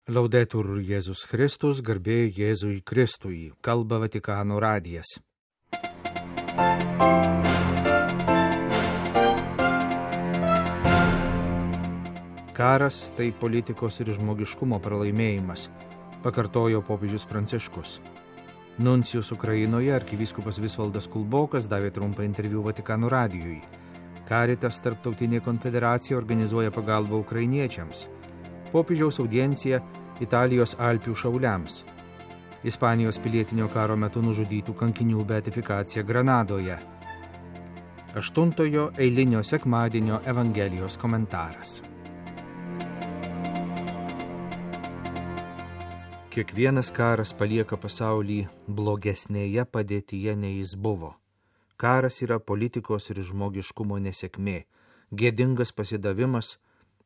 Laudetur Jėzus Kristus, garbė Jėzui Kristui, kalba Vatikano radijas. Karas tai politikos ir žmogiškumo pralaimėjimas, pakartojo popiežius Pranciškus. Nuncijus Ukrainoje arkivyskupas Visvaldas Kulbokas davė trumpą interviu Vatikano radijui. Caritas tarptautinė konfederacija organizuoja pagalbą ukrainiečiams. Popiežiaus audiencija Italijos Alpių šauliams. Ispanijos pilietinio karo metu nužudytų kankinių beatifikacija Granadoje. 8 eilinio sekmadienio Evangelijos komentaras. Kiekvienas karas palieka pasaulį blogesnėje padėtyje, nei jis buvo. Karas yra politikos ir žmogiškumo nesėkmė, gėdingas pasidavimas,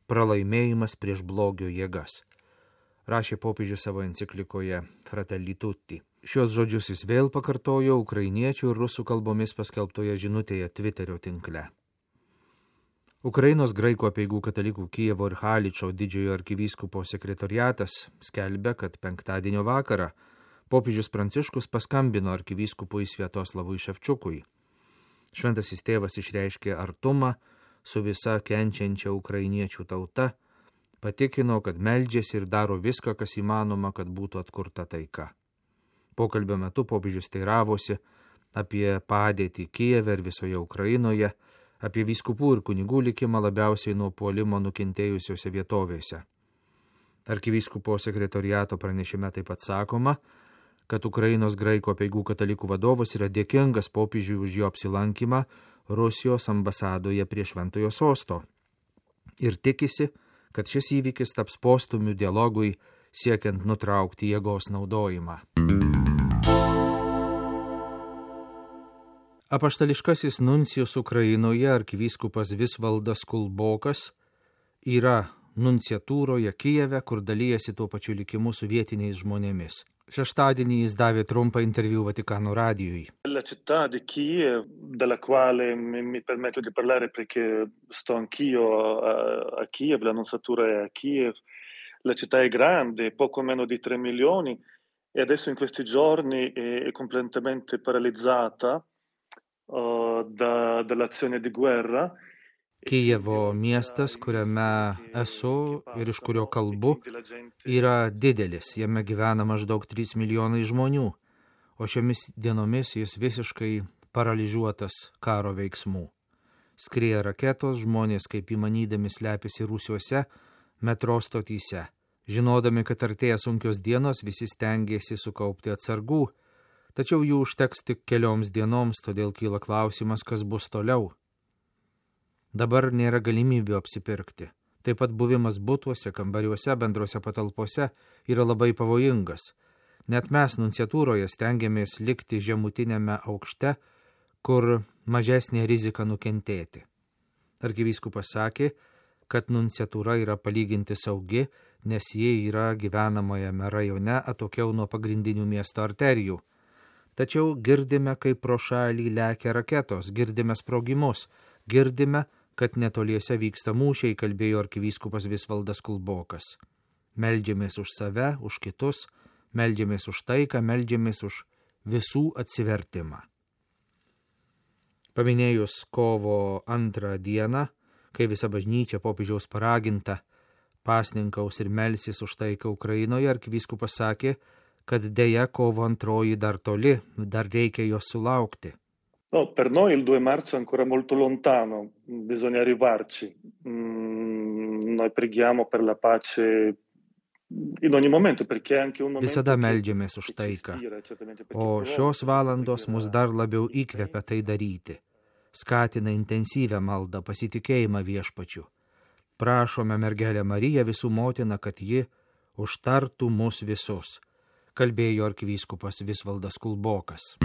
pralaimėjimas prieš blogio jėgas, rašė popiežius savo enciklikoje Fratelli Tutti. Šios žodžius jis vėl pakartojo ukrainiečių ir rusų kalbomis paskelbtoje žinutėje Twitterio tinkle. Ukrainos graikų apeigų katalikų Kijevo ir Haličo didžiojo arkivyskupo sekretoriatas skelbia, kad penktadienio vakarą popiežius Pranciškus paskambino arkivyskupui Sviatoslavui Ševčiukui. Šventasis tėvas išreiškė artumą su visa kenčiančia ukrainiečių tauta, patikino, kad meldžiasi ir daro viską, kas įmanoma, kad būtų atkurta taika. Pokalbio metu popiežius teiravosi apie padėtį Kijeve ir visoje Ukrainoje, apie vyskupų ir kunigų likimą labiausiai nuo puolimo nukentėjusiose vietovėse. Arkivyskupo sekretoriato pranešime taip pat sakoma, kad Ukrainos graikų apeigų katalikų vadovas yra dėkingas popiežiui už jo apsilankymą Rusijos ambasadoje prie Šventojo sosto ir tikisi, kad šis įvykis taps postumiu dialogui siekiant nutraukti jėgos naudojimą. Apaštališkasis nuncijus Ukrainoje arkivyskupas Visvaldas Kulbokas yra nunciatūroje Kijeve, kur dalyjasi tuo pačiu likimu su vietiniais žmonėmis. Šeštadienį jis davė trumpą interviu Vatikano radijui. La città di Kiev, dalla quale mi permetto di parlare perché sto anch'io a Kiev, la nunciatura è a Kiev. La città è grande, poco meno di 3 milioni, e adesso in questi giorni è completamente paralizzata dall'azione di guerra. Kijevo miestas, kuriame esu ir iš kurio kalbu, yra didelis, jame gyvena maždaug 3 milijonai žmonių, o šiomis dienomis jis visiškai paralyžiuotas karo veiksmų. Skrieja raketos, žmonės kaip įmanydami slepiasi rūsiuose, metro stotyse. Žinodami, kad artėja sunkios dienos, visi stengiasi sukaupti atsargų, tačiau jų užteks tik kelioms dienoms, todėl kyla klausimas, kas bus toliau. Dabar nėra galimybių apsipirkti. Taip pat buvimas butuose, kambariuose, bendrose patalpose yra labai pavojingas. Net mes nunciatūroje stengiamės likti žemutinėme aukšte, kur mažesnė rizika nukentėti. Arkivyskupas sakė, kad nunciatūra yra palyginti saugi, nes ji yra gyvenamajame rajone atokiau nuo pagrindinių miesto arterijų. Tačiau girdime, kaip pro šalį lekia raketos, girdime sprogimus, girdime, kad netoliese vyksta mūšiai, kalbėjo arkivyskupas Visvaldas Kulbokas. Meldžiamės už save, už kitus, meldžiamės už taiką, meldžiamės už visų atsivertimą. Paminėjus kovo 2 dieną, kai visa bažnyčia popiežiaus paraginta pasninkaus ir melsis už taiką Ukrainoje, arkivyskupas sakė, kad deja kovo 2 dar toli, dar reikia jos sulaukti. No, per noi il 2 marzo è ancora molto lontano, bisogna arrivarci. Noi preghiamo per la pace in ogni momento, perché anche un momento... Visada meldžiamės už taiką, o šios valandos mus dar labiau įkvepia tai daryti. Skatina intensyvę maldą, pasitikėjimą viešpačiu. Prašome mergelę Mariją, visų motiną, kad ji užtartų mus visus, kalbėjo arkivyskupas Visvaldas Kulbokas.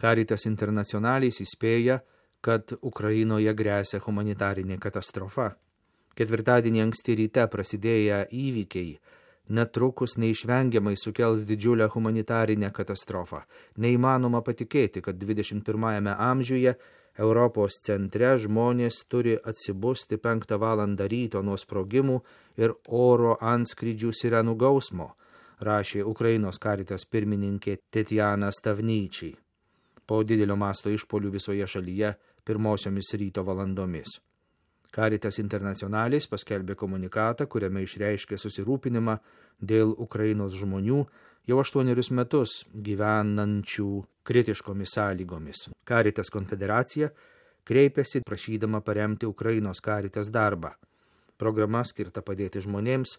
Caritas Internationalis įspėja, kad Ukrainoje gresia humanitarinė katastrofa. Ketvirtadienį anksti ryte prasidėję įvykiai netrukus neišvengiamai sukels didžiulę humanitarinę katastrofą. Neįmanoma patikėti, kad 21 amžiuje Europos centre žmonės turi atsibusti 5 valandą ryto nuo sprogimų ir oro antskrydžių sirenų gausmo, rašė Ukrainos Caritas pirmininkė Tetjana Stavnyčiai po didelio masto išpolių visoje šalyje pirmosiomis ryto valandomis. Caritas Internationalis paskelbė komunikatą, kuriame išreiškė susirūpinimą dėl Ukrainos žmonių jau 8 metus gyvenančių kritiškomis sąlygomis. Caritas konfederacija kreipėsi prašydama paremti Ukrainos Caritas darbą. Programa skirta padėti žmonėms,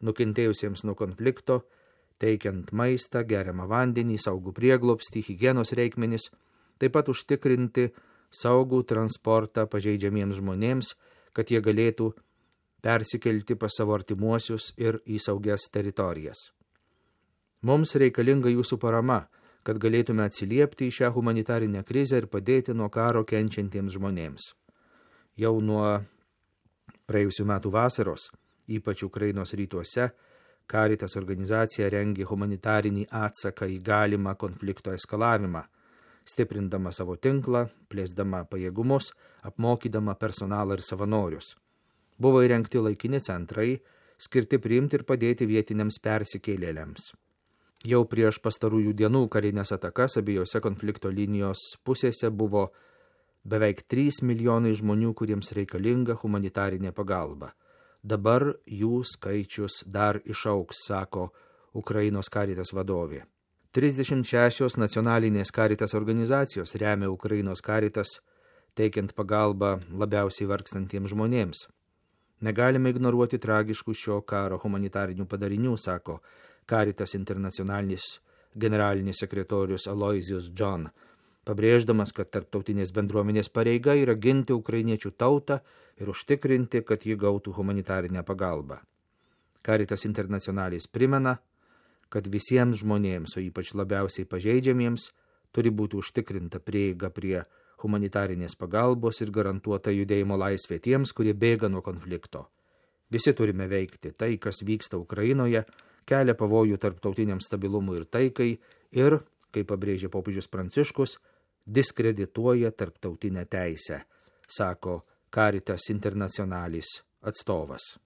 nukentėjusiems nuo konflikto, teikiant maistą, geriamą vandenį, saugų prieglobstį, higienos reikmenis, taip pat užtikrinti saugų transportą pažeidžiamiems žmonėms, kad jie galėtų persikelti pas savo artimuosius ir į saugias teritorijas. Mums reikalinga jūsų parama, kad galėtume atsiliepti į šią humanitarinę krizę ir padėti nuo karo kenčiantiems žmonėms. Jau nuo praėjusių metų vasaros, ypač Ukrainos rytuose, Caritas organizacija rengė humanitarinį atsaką į galimą konflikto eskalavimą, stiprindama savo tinklą, plėsdama pajėgumus, apmokydama personalą ir savanorius. Buvo įrengti laikini centrai, skirti priimti ir padėti vietiniams persikėlėliams. Jau prieš pastarųjų dienų karinės atakas abiejose konflikto linijos pusėse buvo beveik 3 milijonai žmonių, kuriems reikalinga humanitarinė pagalba. Dabar jų skaičius dar išaugs, sako Ukrainos Caritas vadovė. 36 nacionalinės Caritas organizacijos remia Ukrainos Caritas, teikiant pagalbą labiausiai vargstantiems žmonėms. Negalime ignoruoti tragiškų šio karo humanitarinių padarinių, sako Caritas Internationalis generalinis sekretorius Aloysius John, pabrėždamas, kad tarptautinės bendruomenės pareiga yra ginti ukrainiečių tautą ir užtikrinti, kad ji gautų humanitarinę pagalbą. Caritas Internationalis primena, kad visiems žmonėms, o ypač labiausiai pažeidžiamiems, turi būti užtikrinta prieiga prie humanitarinės pagalbos ir garantuota judėjimo laisvė tiems, kurie bėga nuo konflikto. Visi turime veikti. Tai, kas vyksta Ukrainoje, kelia pavojų tarptautiniam stabilumui ir taikai ir, kaip pabrėžė popiežius Pranciškus, diskredituoja tarptautinę teisę, sako Caritas Internationalis atstovas.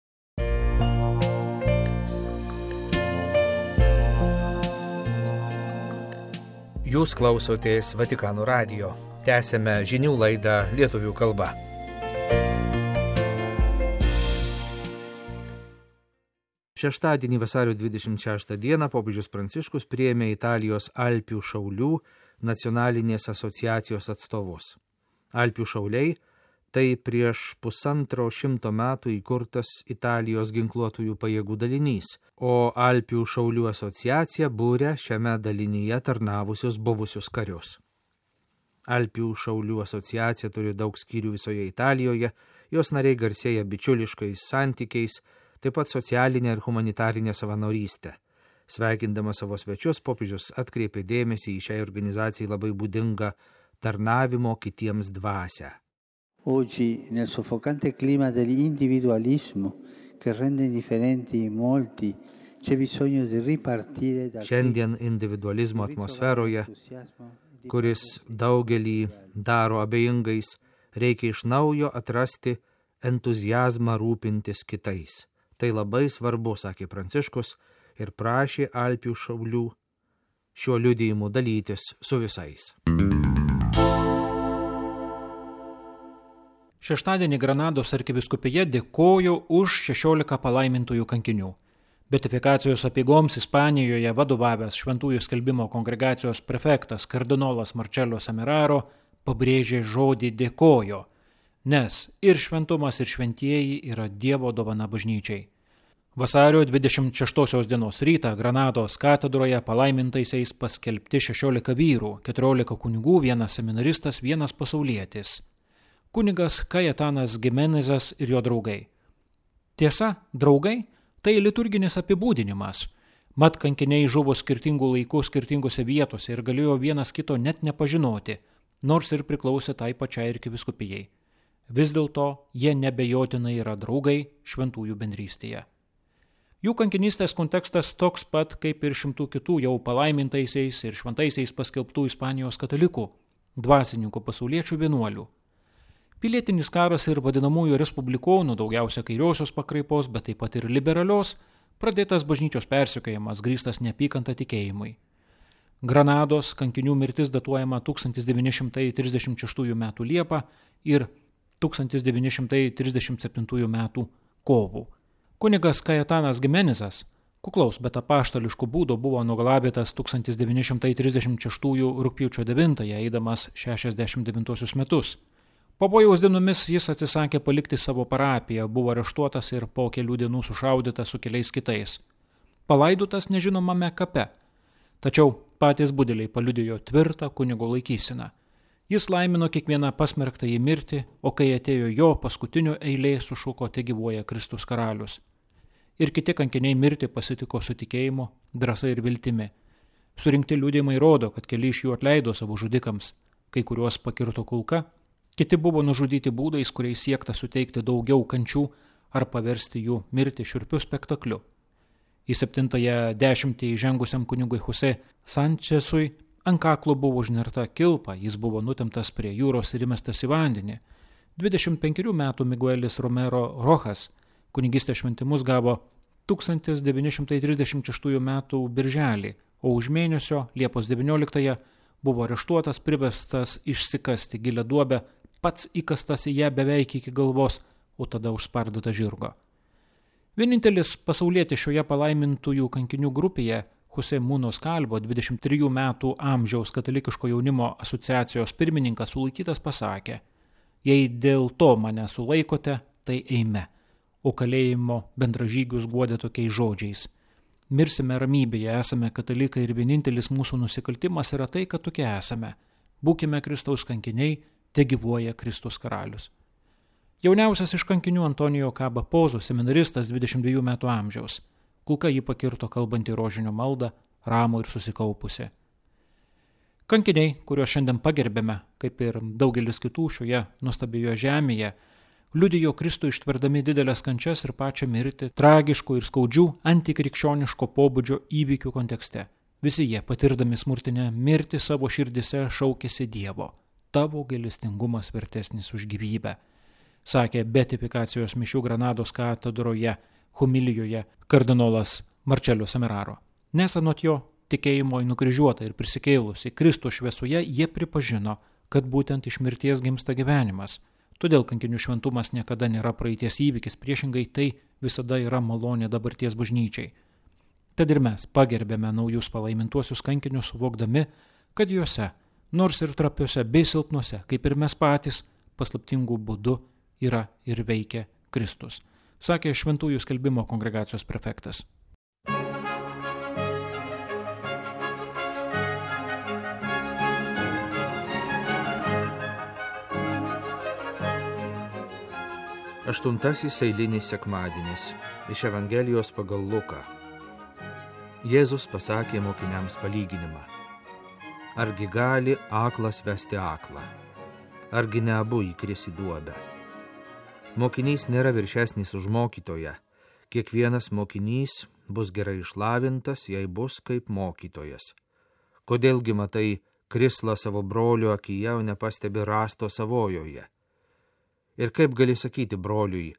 Jūs klausotės Vatikano radijo. Tęsėme žinių laidą lietuvių kalba. Šeštadienį vasario 26 dieną popiežius Pranciškus priėmė Italijos Alpių šaulių nacionalinės asociacijos atstovus. Alpių šauliai tai prieš 150 metų įkurtas Italijos ginkluotųjų pajėgų dalinys, o Alpių šaulių asociacija būrė šiame dalinyje tarnavusius buvusius karius. Alpių šaulių asociacija turi daug skyrių visoje Italijoje, jos nariai garsėja bičiuliškais santykiais, taip pat socialinė ir humanitarinė savanorystė. Sveikindamas savo svečius, popiežius atkreipė dėmesį į šiai organizacijai labai būdingą tarnavimo kitiems dvasią. Oggi, nel soffocante clima dell'individualismo che rende indifferenti molti, c'è bisogno di ripartire da Šiandien individualizmo atmosferoje, kuris daugelį daro abejingais, reikia iš naujo atrasti entuziazmą rūpintis kitais. Tai labai svarbu, sakė Pranciškus, ir prašė Alpių šaulių šiuo liudijimu dalytis su visais. Šeštadienį Granados arkivyskupija dėkojo už 16 palaimintųjų kankinių. Beatifikacijos apeigoms Ispanijoje vadovavęs Šventųjų skelbimo kongregacijos prefektas kardinolas Marcello Semeraro pabrėžė žodį dėkojo, nes ir šventumas, ir šventieji yra Dievo dovana bažnyčiai. Vasario 26 dienos rytą Granados katedroje palaimintaisiais paskelbti 16 vyrų, 14 kunigų, 1 seminaristas, 1 pasaulietis. Kunigas Kajetanas Gimenezas ir jo draugai. Tiesa, draugai tai liturginis apibūdinimas. Mat kankiniai žuvo skirtingų laikų skirtingose vietose ir galėjo vienas kito net nepažinoti, nors ir priklausė tai pačiai arkivyskupijai. Vis dėlto jie nebejotinai yra draugai šventųjų bendrystėje. Jų kankinystės kontekstas toks pat kaip ir šimtų kitų jau palaimintaisiais ir šventaisiais paskelbtų Ispanijos katalikų. dvasininkų pasauliečių vienuolių. Pilietinis karas ir vadinamųjų respublikonų, daugiausia kairiosios pakraipos, bet taip pat ir liberalios, pradėtas bažnyčios persekiojimas grįstas neapykanta tikėjimui. Granados kankinių mirtis datuojama 1936 m. Liepą ir 1937 m. kovų. Kunigas Kajetanas Gimenezas, kuklaus, bet apaštališkų būdų, buvo nugalabytas 1936 rugpjūčio 9, eidamas 69 metus. Pavojaus dienomis jis atsisakė palikti savo parapiją, buvo areštuotas ir po kelių dienų sušaudytas su keliais kitais. Palaidotas nežinomame kape, tačiau patys budeliai paliudijo tvirtą kunigo laikyseną. Jis laimino kiekvieną pasmerktą į mirtį, o kai atėjo jo paskutinio eilė, sušuko tegyvuoja Kristus karalius. Ir kiti kankiniai mirtį pasitiko su tikėjimu, drąsa ir viltimi. Surinkti liudijimai rodo, kad keli iš jų atleido savo žudikams, kai kuriuos pakirto kulka, kiti buvo nužudyti būdais, kuriais siekta suteikti daugiau kančių ar paversti jų mirtį šiurpiu spektakliu. Į 7-ąją dešimtį įžengusiam kunigui Jose Sančesui ant kaklo buvo užnerta kilpa, jis buvo nutemtas prie jūros ir įmestas į vandenį. 25 metų Miguelis Romero Rojas kunigystės šventimus gavo 1936 metų birželį, o už mėnesio Liepos 19 buvo areštuotas, privestas išsikasti gilią duobę, pats įkastas į ją beveik iki galvos, o tada užspardyta žirgo. Vienintelis pasaulietis šioje palaimintųjų kankinių grupėje, Jose Munos Kalvo, 23 metų amžiaus katalikiško jaunimo asociacijos pirmininkas, sulaikytas pasakė: jei dėl to mane sulaikote, tai eime. O kalėjimo bendražygius guodė tokiais žodžiais: mirsime ramybėje, esame katalikai ir vienintelis mūsų nusikaltimas yra tai, kad tokie esame. Būkime Kristaus kankiniai, tegyvuoja Kristus karalius. Jauniausias iš kankinių Antonijo Kaba Pozo, seminaristas 22 metų amžiaus. Kulka jį pakirto kalbantį rožinio maldą, ramų ir susikaupusi. Kankiniai, kuriuos šiandien pagerbėme, kaip ir daugelis kitų šioje nuostabioje žemėje, liudijo Kristų ištverdami didelės kančias ir pačią mirtį tragiškų ir skaudžių antikrikščioniško pobūdžio įvykių kontekste. Visi jie, patirdami smurtinę mirtį savo širdise, šaukėsi Dievo: tavo gailestingumas vertesnis už gyvybę, sakė beatifikacijos mišių Granados katedroje homilijoje kardinolas Marcello Semeraro. Nes anot jo tikėjimo į nukryžiuotą ir prisikėlusi Kristų šviesoje jie pripažino, kad būtent iš mirties gimsta gyvenimas. Todėl kankinių šventumas niekada nėra praeities įvykis, priešingai tai visada yra malonė dabarties bažnyčiai. Tad ir mes pagerbėme naujus palaimintuosius kankinius, suvokdami, kad juose, nors ir trapiuose bei silpnuose, kaip ir mes patys, paslaptingų būdų yra ir veikia Kristus, sakė Šventųjų skelbimo kongregacijos prefektas. Aštuntasis eilinis sekmadienis iš Evangelijos pagal Luką. Jėzus pasakė mokiniams palyginimą: argi gali aklas vesti aklą? Argi ne abu įkris į duobę? Mokinys nėra viršesnis už mokytoją. Kiekvienas mokinys bus gerai išlavintas, jei bus kaip mokytojas. Kodėlgi matai krislą savo brolio akyje, o nepastebi rasto savojoje? Ir kaip gali sakyti broliui: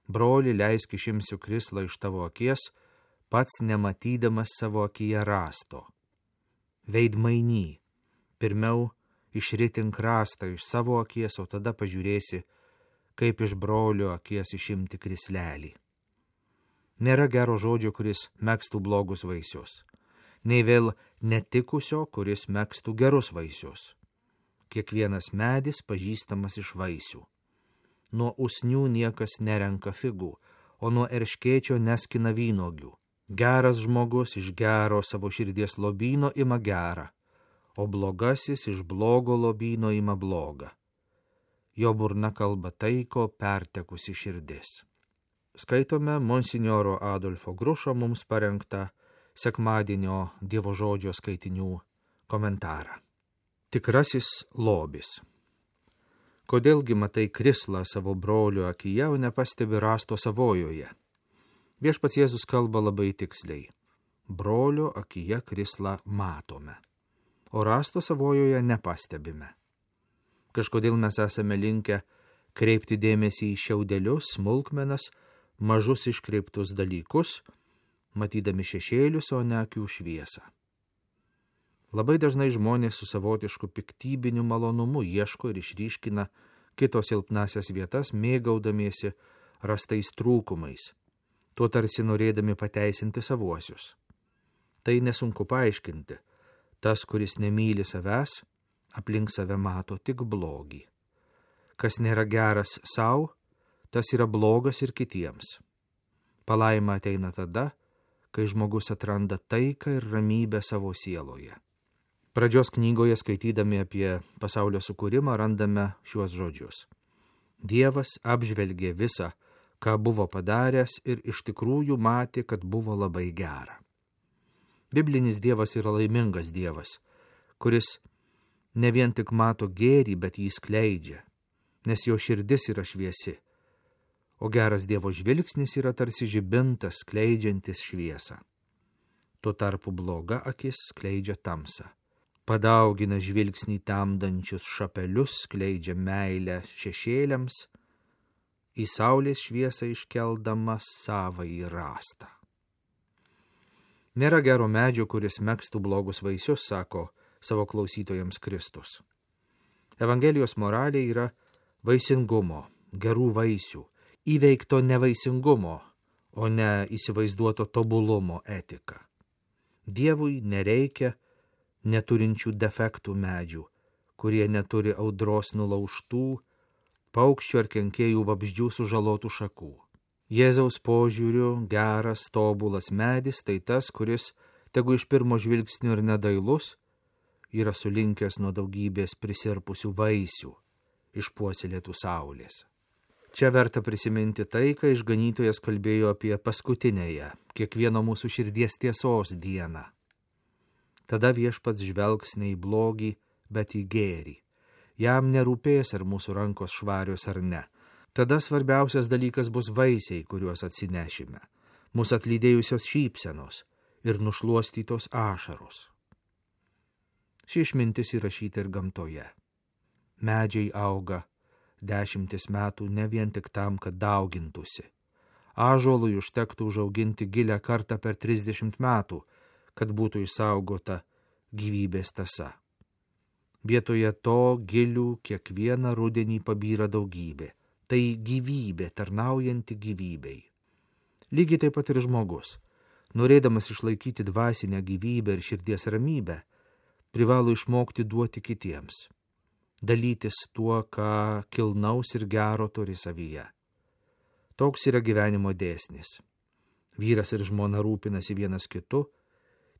broli, leisk išimsiu krislą iš tavo akies, pats nematydamas savo akyje rasto? Veidmainy, pirmiau išritink rastą iš savo akies, o tada pažiūrėsi, kaip iš brolio akies išimti krislelį. Nėra gero žodžio, kuris megztų blogus vaisius, nei vėl netikusio, kuris megztų gerus vaisius. Kiekvienas medis pažįstamas iš vaisių. Nuo usnių niekas nerenka figų, o nuo erškėčio neskina vynuogių. Geras žmogus iš gero savo širdies lobyno ima gerą, o blogasis iš blogo lobyno ima blogą. Jo burna kalba tai, ko pertekusi širdis. Skaitome monsinjoro Adolfo Grušo mums parengtą sekmadienio Dievo žodžio skaitinių komentarą. Tikrasis lobis. Kodėlgi matai krislą savo brolio akyje, o nepastebi rasto savojoje? Viešpats Jėzus kalba labai tiksliai. Brolio akyje krislą matome, o rasto savojoje nepastebime. Kažkodėl mes esame linkę kreipti dėmesį į šiaudelius, smulkmenas, mažus iškreiptus dalykus, matydami šešėlius, o ne akių šviesą. Labai dažnai žmonės su savotišku piktybiniu malonumu ieško ir išryškina kito silpnasias vietas, mėgaudamiesi rastais trūkumais, tuo tarsi norėdami pateisinti savuosius. Tai nesunku paaiškinti. Tas, kuris nemyli savęs, aplink save mato tik blogį. Kas nėra geras sau, tas yra blogas ir kitiems. Palaima ateina tada, kai žmogus atranda taiką ir ramybę savo sieloje. Pradžios knygoje, skaitydami apie pasaulio sukūrimą, randame šiuos žodžius. Dievas apžvelgė visą, ką buvo padaręs ir iš tikrųjų matė, kad buvo labai gera. Biblinis Dievas yra laimingas Dievas, kuris ne vien tik mato gėrį, bet jį skleidžia, nes jo širdis yra šviesi, o geras Dievo žvilgsnis yra tarsi žibintas skleidžiantis šviesą. Tuo tarpu bloga akis skleidžia tamsą. Padaugina žvilgsnį temdančius šapelius, skleidžia meilę šešėliams, į saulės šviesą iškeldama savąjį rąstą. Nėra gero medžio, kuris megstų blogus vaisius, sako savo klausytojams Kristus. Evangelijos moralė yra vaisingumo, gerų vaisių, įveikto nevaisingumo, o ne įsivaizduoto tobulumo etika. Dievui nereikia neturinčių defektų medžių, kurie neturi audros nulaužtų, paukščių ar kenkėjų vabzdžių sužalotų šakų. Jėzaus požiūriu geras, tobulas medis tai tas, kuris, tegu iš pirmo žvilgsnio ir nedailus, yra sulinkęs nuo daugybės prisirpusių vaisių, išpuoselėtų saulės. Čia verta prisiminti tai, kai išganytojas kalbėjo apie paskutinėje, kiekvieno mūsų širdies tiesos dieną. Tada viešpats žvelgs ne į blogį, bet į gėrį. Jam nerūpės, ar mūsų rankos švarios ar ne. Tada svarbiausias dalykas bus vaisiai, kuriuos atsinešime, mūsų atlydėjusios šypsenos ir nušluostytos ašaros. Ši išmintis įrašyta ir gamtoje. Medžiai auga 10 metų ne vien tik tam, kad daugintųsi. Ąžuolui užtektų užauginti gilią kartą per 30 metų, kad būtų išsaugota gyvybės tąsa. Vietoje to gilių kiekvieną rudenį pabyra daugybė. Tai gyvybė, tarnaujanti gyvybei. Lygiai taip pat ir žmogus, norėdamas išlaikyti dvasinę gyvybę ir širdies ramybę, privalo išmokti duoti kitiems, dalytis tuo, ką kilnaus ir gero turi savyje. Toks yra gyvenimo dėsnis. Vyras ir žmona rūpinasi vienas kitu,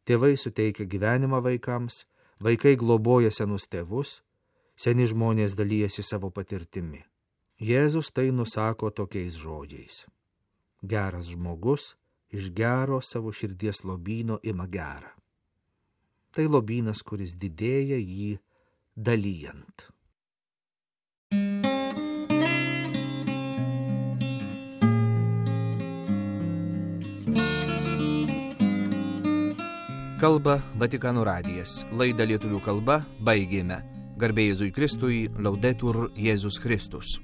tėvai suteikia gyvenimą vaikams, vaikai globoja senus tėvus, seni žmonės dalyjasi savo patirtimi. Jėzus tai nusako tokiais žodžiais. Geras žmogus iš gero savo širdies lobyno ima gerą. Tai lobynas, kuris didėja jį dalyjant. Kalba Vatikano radijas. Laidą lietuvių kalba baigėme. Garbė Jėzui Kristui, Laudetur Jėzus Kristus.